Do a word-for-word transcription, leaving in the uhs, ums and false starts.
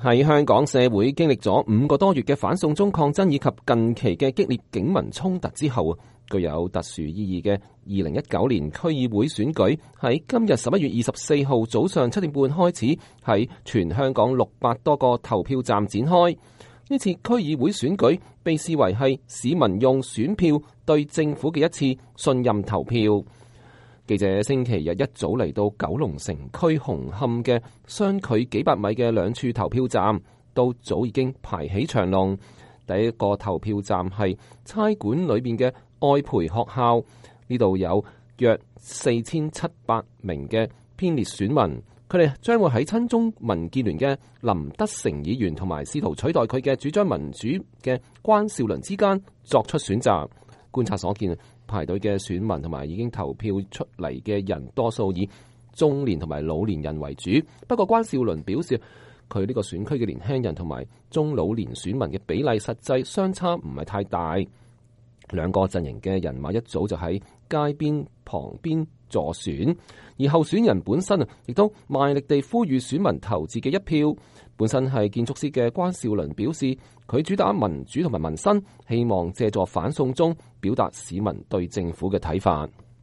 喺香港社會經歷咗五個多月嘅反送中抗爭以及近期嘅激烈警民衝突之後，具有特殊意義嘅二零一九年區議會選舉喺今日十一月二十四號早上七點半開始喺全香港六百多個投票站展開。呢次區議會選舉被視為係市民用選票對政府嘅一次信任投票。記者星期日一早嚟到九龍城區紅磡嘅相距幾百米嘅兩處投票站，都早已經排起長龍。第一個投票站係差館裏邊嘅愛培學校，呢度有約四千七百名嘅編列選民，佢哋將會喺親中民建聯嘅林德成議員同埋試圖取代佢嘅主張民主嘅關少倫之間作出選擇。觀察所見，排隊嘅選民同埋已經投票出嚟嘅人，多數以中年同埋老年人為主。不過關少倫表示，佢呢個選區嘅年輕人同埋中老年選民嘅比例實際相差唔係太大。兩個陣營嘅人馬一早就喺街邊旁邊助選，而候選人本身啊，亦都賣力地呼籲選民投自己一票。本身係建築師嘅關少倫表示，佢主打民主同埋民生，希望借助反送中表達市民對政府嘅睇法。